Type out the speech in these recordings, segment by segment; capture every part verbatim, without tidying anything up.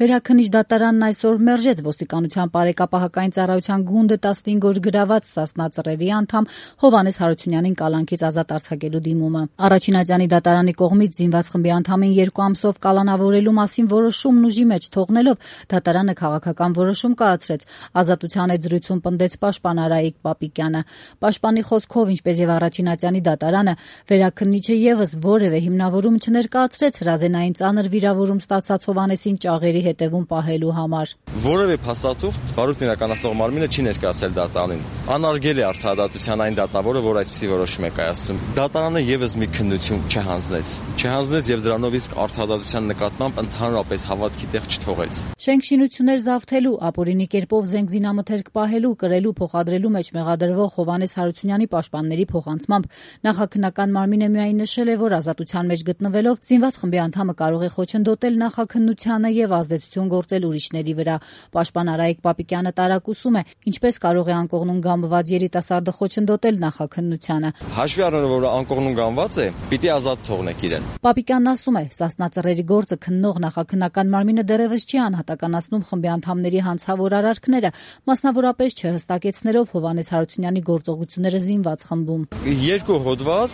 Վերաքննիչ դատարանն այսօր մերժեց ոստիկանության բարեկապահական ծառայության գունդը տասնհինգ օր գրաված Սասնա Ծռերի անդամ Հովհաննես Հարությունյանին կալանքից ազատ արձակելու դիմումը։ Առաջինատյանի դատարանի կողմից զինված խմբի անդամին երկու ամսով կալանավորելու մասին որոշումն ուժի մեջ թողնելով դատարանը քաղաքական որոշում կայացրեց։ Ազատության հետ զրույցում պնդեց պաշտպան Արայիկ Պապիկյանը։ Պաշտպանի խոսքով, ինչպես եւ առաջինատյանի դատարանը, վերաքննիչը եւս որևէ հիմնավորում չներկայացրեց հրազենային ծանր վիրավորում ստացած Հովհաննեսին ճաղերի հետևում պահելու համար։ Որևէ փաստաթուղթ վարույթն իրականացնող մարմինը չի ներկայացել դատարանին։ Անարգել է արդարադատության այն դատավորը, որ այսպիսի որոշում է կայացնում։ Դատարանը եւս մի քննություն չհանձնեց։ Չհանձնեց եւ դրանով իսկ արդարադատության նկատմամբ ընդհանրապես հավատքի տեղ չթողեց։ Շենքշինություններ զավթելու, ապօրինի կերպով զենք զինամթերք պահելու, կրելու, փոխադրելու մեջ մեղադրվող Հովհաննես Հարությունյանի պաշտպանների փոխանցմամբ նախաքննական մարմինը միայն նշել է, որ ազատության մեջ գտնվելով զինված խմբի անդամը կարող է խոչընդոտել նախաքննությանը եւ ազդեցություն գործել ուրիշների վրա։ Պաշտպան Արայիկ Պապիկյանը տարակուսում է, ինչպես կարող է անկողնուն գամբված երիտասարդը խոչընդոտել նախաքննությանը։ Հաշվի առնելով, որ անկողնուն գամբված է, պիտի ազատ թողնեք իրեն։ Պապիկյանն ասում է, Սասնա Ծռերի գործը քննող նախաքննական մարմինը դեռևս չի անհատականացնում խմբի անդամների հանցավոր արարքները, մասնավորապես չհստակեցնելով Հովհաննես Հարությունյանի գործողությունները զինված խմբում։ Երկու հոդված,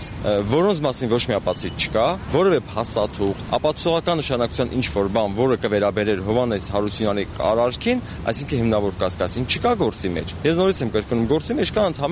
որոնց մասին ոչ մի ապացույց չկա, որևէ փաստաթուղթ, ապացուցողական նշանակության ինչ-որ բան, որը կվերաբերեր Հովհաննես Հարությունյանի արարքին, այսինքն հիմնավոր կասկածին, չկա գործի մեջ։ Ես նորից եմ կրկնում, գործի մեջ կա ընդհանրապես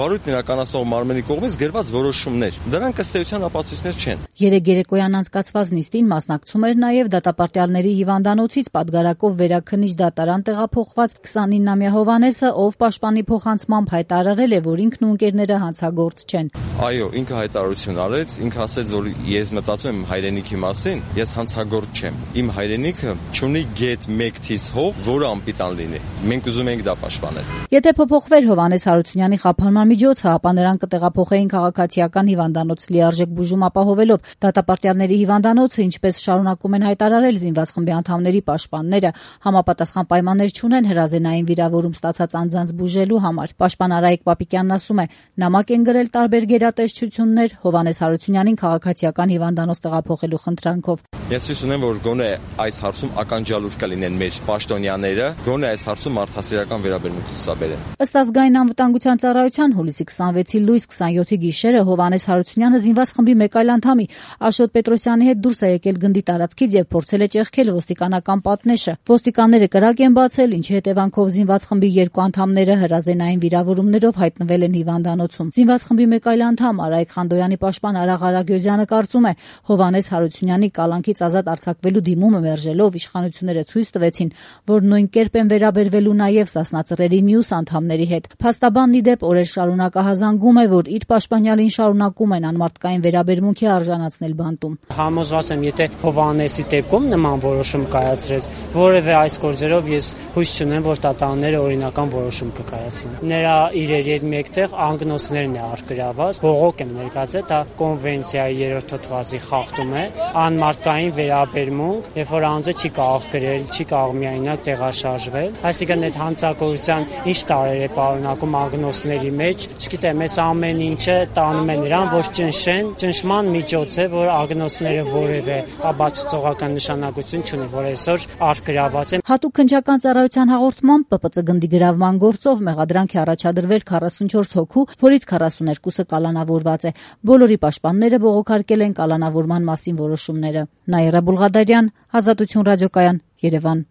վարույթն իրականացնող մարմնի կողմից գրված որոշումներ։ Դրանք ըստ էության ապացույցներ չեն։ Երեկ երեկոյան անցկացված նիստին մասնակցում էր նաև դատապարտյալների հիվանդանոցից պատգարակով վերաքննիչ դատարան տեղափոխված քսանինամյա Հովհաննեսը, ով պաշտպանի փոխանցմամբ հայտարարել է, որ ինքն ու ընկերները հանցագործ չեն։ Այո, ինքը հայտարարություն արեց, ինքը ասեց, որ ես մտածում եմ հայրենիքի մասին, ես հանցագործ չեմ։ Իմ հայրենիքը չունի գետ մեկ թիզ հող, որը անպիտան լինի։ Մենք ուզում ենք դա պաշտպանել։ Եթե փոփոխվեր Հովհաննես Հարությունյանի խափանման միջոցը, ապա նրան կտեղափոխեին քաղաքացիական հիվանդանոց լիարժեք բուժում ապահովելով։ Դատապարտյալների հիվանդանոցը, ինչպես շարունակում են հայտարարել զինված խմբի անդամների պաշտպանները, համապատասխան պայմաններ չունեն հրազենային վիրավորում ստացած անձանց բուժելու համար։ Պաշտպան Արայիկ Պապիկյանն ասում է, նամակ են գրել տարբեր գերատեսչություններ Հովհաննես Հարությունյանին քաղաքացիական հիվանդանոց տեղափոխելու խնդրանքով։ Ես հույս ունեմ, որ գոնե այս հարցում ականջալուր կլինեն մեր պաշտոնյաները, գոնե այս հարցում մարդասիրական վերաբերմունք ցուցաբերեն։ Ըստ ազգային անվտանգության ծառայության հուլիսի քսանվեցի լույս քսանյոթի գիշերը Հովհաննես Հարությունյանը զինված խմբի մեկ այլ անդամի Աշոտ Պետրոսյանի հետ դուրս է եկել գնդի տարածքից եւ փորձել է ճեղքել ոստիկանական պատնեշը։ Ոստիկանները կրակ են բացել, ինչի հետևանքով զինված խմբի երկու անդամները հրազենային վիրավորումներով հայտնվել են հիվանդանոցում։ Զինված խմբի մեկ այլ անդամ Արայիկ Խանդոյանի պաշտպան Արաղ Արագյոզյանը կարծում է, Հովհաննես Հարությունյանի կալանքից ազատ արձակվելու դիմումը մերժելով իշխանությունները ցույց տվեցին, որ նույն կերպ են վերաբերվելու նաև Սասնա Ծռերի մյուս անդամների հետ։ Փաստաբանն ի դեպ օրեր շարունակ ահազանգում է, որ իր պաշտպանյալին շարունակում են անմարդկային վերաբերմունքի արժանացնել բանտում։ Համոզված եմ, եթե Հովհաննեսի դեպքում նման որոշում կայացրեց, որևէ այս գործերով ես հույս չունեմ, որ դատարանները օրինական որոշում կկայացնեն։ Նրա իրերի հետ մեկտեղ անգնոսներն է արգրաված, բողոք եմ ներկայացրել, դա կոնվենցիայի երրորդ հոդվածի խախտում է, անմարդկային վերաբերմունք, երբ որ անձը չի կարող գրել, չի կարող միայնակ տեղաշարժվել, այսինքն այդ հանցագործության ինչ տարեր է պարունակում անգնոսների մեջ, չգիտեմ, այս ամեն ինչը տանում է նրան, որ ճնշեն, ճնշման միջոց է, որ ագնոսները որևէ ապացուցողական նշանակություն չունի, որ այսօր արգրաված են։ Հատուկ քննչական ծառայության հաղորդմամբ Պ Պ Ծ գնդի գրավման գործով մեղադրանք է առաջադրվել քառասունչորս հոգու, որից քառասուներկուսը կալանավորված է։ Բոլորի պաշտպանները բողոքարկել են կալանավորման մասին որոշումները։ Նաիրա Բուլղադարյան, Ազատություն ռադիոկայան, Երևան։